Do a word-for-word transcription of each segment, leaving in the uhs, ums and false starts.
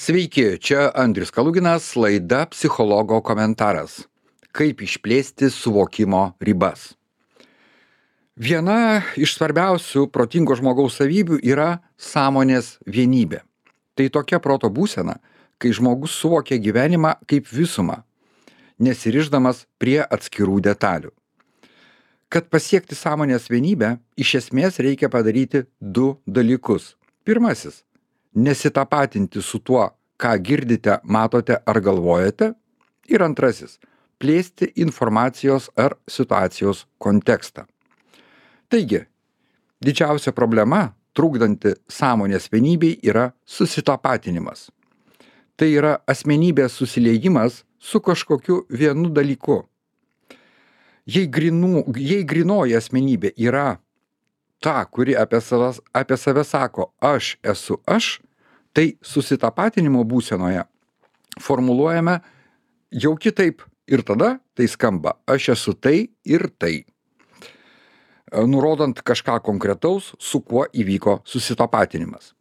Sveiki, čia Andrius Kaluginas, laida Psichologo komentaras. Kaip išplėsti suvokimo ribas. Viena iš svarbiausių protingo žmogaus savybių yra sąmonės vienybė. Tai tokia proto būsena, kai žmogus suvokia gyvenimą kaip visumą, nesirišdamas prie atskirų detalių. Kad pasiekti sąmonės vienybę, iš esmės reikia padaryti du dalykus. Pirmasis – nesitapatinti su tuo, ką girdite, matote ar galvojate. Ir antrasis – plėsti informacijos ar situacijos kontekstą. Taigi, didžiausia problema, trukdanti sąmonės vienybei, yra susitapatinimas. Tai yra asmenybės susiliejimas su kažkokiu vienu dalyku. Jei, grinų, jei grinoji asmenybė yra ta, kuri apie, savas, apie save sako aš esu aš, tai susitapatinimo būsenoje formuluojame jau kitaip ir tada tai skamba aš esu tai ir tai, nurodant kažką konkretaus, su kuo įvyko susitapatinimas.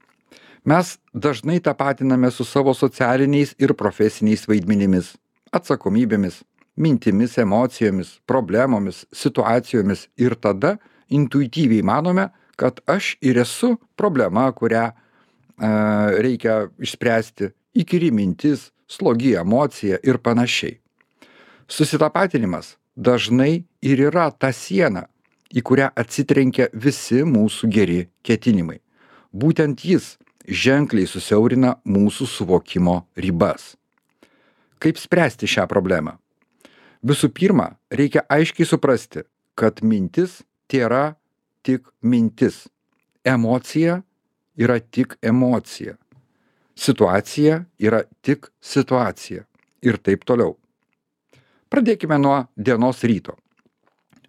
Mes dažnai tapatiname su savo socialiniais ir profesiniais vaidmenimis, atsakomybėmis, mintimis, emocijomis, problemomis, situacijomis ir tada intuityviai manome, kad aš ir esu problema, kurią e, reikia išspręsti, įkyri mintis, slogi emocija ir panašiai. Susitapatinimas dažnai ir yra ta siena, į kurią atsitrenkia visi mūsų geri ketinimai. Būtent jis ženkliai susiaurina mūsų suvokimo ribas. Kaip spręsti šią problemą? Visų pirma, reikia aiškiai suprasti, kad mintis tėra tik mintis. Emocija yra tik emocija. Situacija yra tik situacija. Ir taip toliau. Pradėkime nuo dienos ryto.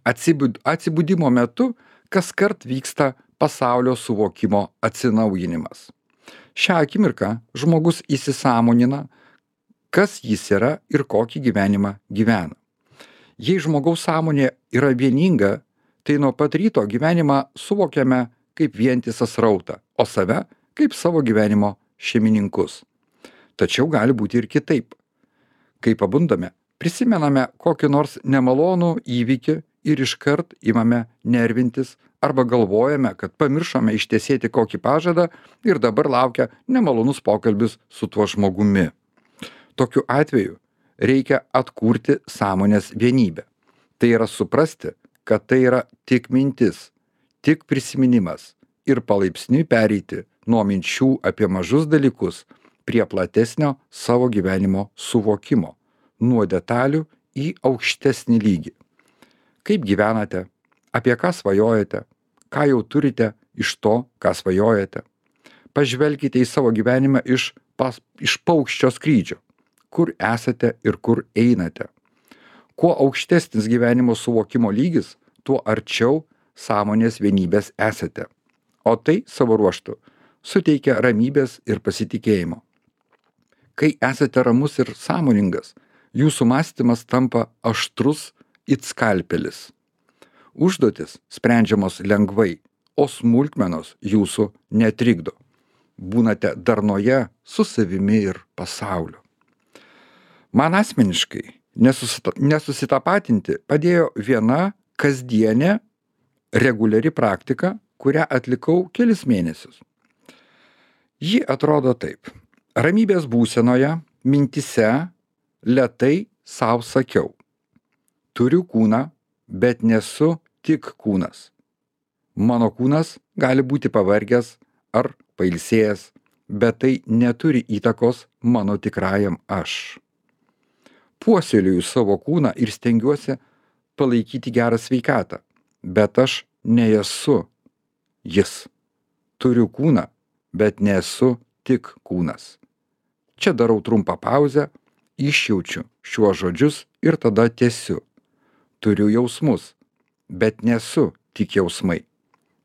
Atsibud, atsibudimo metu kaskart vyksta pasaulio suvokimo atsinaujinimas. Šią akimirką žmogus įsisąmonina, kas jis yra ir kokį gyvenimą gyvena. Jei žmogaus sąmonė yra vieninga, tai nuo pat ryto gyvenimą suvokiame kaip vientisą srautą, o save kaip savo gyvenimo šeimininkus. Tačiau gali būti ir kitaip. Kai pabundame, prisimename kokį nors nemalonų įvykį ir iškart imame nervintis arba galvojame, kad pamiršome ištesėti kokį pažadą ir dabar laukia nemalonus pokalbis su tuo žmogumi. Tokiu atveju reikia atkurti sąmonės vienybę. Tai yra suprasti, kad tai yra tik mintis, tik prisiminimas ir palaipsniui pereiti nuo minčių apie mažus dalykus prie platesnio savo gyvenimo suvokimo, nuo detalių į aukštesnį lygį. Kaip gyvenate, apie ką svajojate, ką jau turite iš to, ką svajojate. Pažvelkite į savo gyvenimą iš, pas, iš paukščio skrydžio, kur esate ir kur einate. Kuo aukštesnis gyvenimo suvokimo lygis, tuo arčiau sąmonės vienybės esate. O tai savo ruožtu suteikia ramybės ir pasitikėjimo. Kai esate ramus ir sąmoningas, jūsų mąstymas tampa aštrus it skalpelis. Užduotis sprendžiamos lengvai, o smulkmenos jūsų netrikdo. Būnate darnoje su savimi ir pasauliu. Man asmeniškai nesusita, nesusitapatinti padėjo viena kasdienė reguliari praktika, kurią atlikau kelis mėnesius. Ji atrodo taip. Ramybės būsenoje, mintise, lėtai sau sakiau. Turiu kūną, bet nesu tik kūnas. Mano kūnas gali būti pavargęs ar pailsėjęs, bet tai neturi įtakos mano tikrajam aš. Puoselėju savo kūną ir stengiuosi palaikyti gerą sveikatą, bet aš nesu jis. Turiu kūną, bet nesu tik kūnas. Čia darau trumpą pauzę, išjaučiu šiuos žodžius ir tada tęsiu. Turiu jausmus, bet nesu tik jausmai.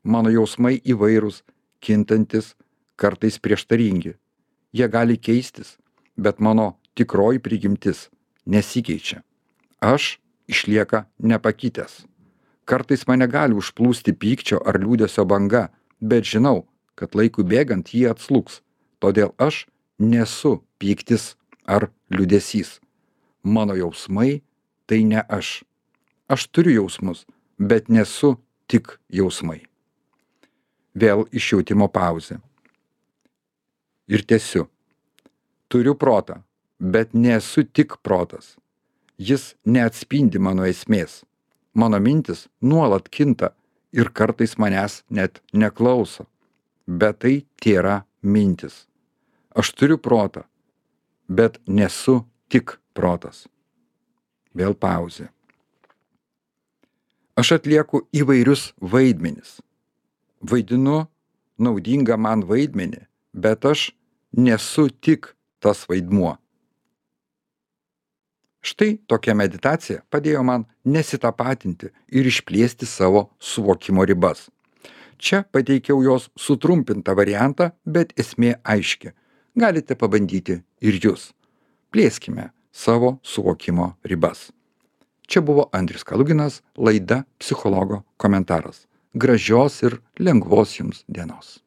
Mano jausmai įvairūs, kintantis, kartais prieštaringi. Jie gali keistis, bet mano tikroji prigimtis nesikeičia. Aš išlieka nepakitęs. Kartais mane gali užplūsti pykčio ar liūdesio banga, bet žinau, kad laikui bėgant jie atslūgs, todėl aš nesu pyktis ar liūdesys. Mano jausmai tai ne aš. Aš turiu jausmus, bet nesu tik jausmai. Vėl išjautimo pauzė. Ir tęsiu. Turiu protą, bet nesu tik protas. Jis neatspindi mano esmės. Mano mintis nuolat kinta ir kartais manęs net neklauso. Bet tai tėra mintis. Aš turiu protą, bet nesu tik protas. Vėl pauzė. Aš atlieku įvairius vaidmenis. Vaidinu naudingą man vaidmenį, bet aš nesu tik tas vaidmuo. Štai tokia meditacija padėjo man nesitapatinti ir išplėsti savo suvokimo ribas. Čia pateikiau jos sutrumpintą variantą, bet esmė aiški. Galite pabandyti ir jūs. Plėskime savo suvokimo ribas. Čia buvo Andrius Kaluginas, laida Psichologo komentaras. Gražios ir lengvos jums dienos.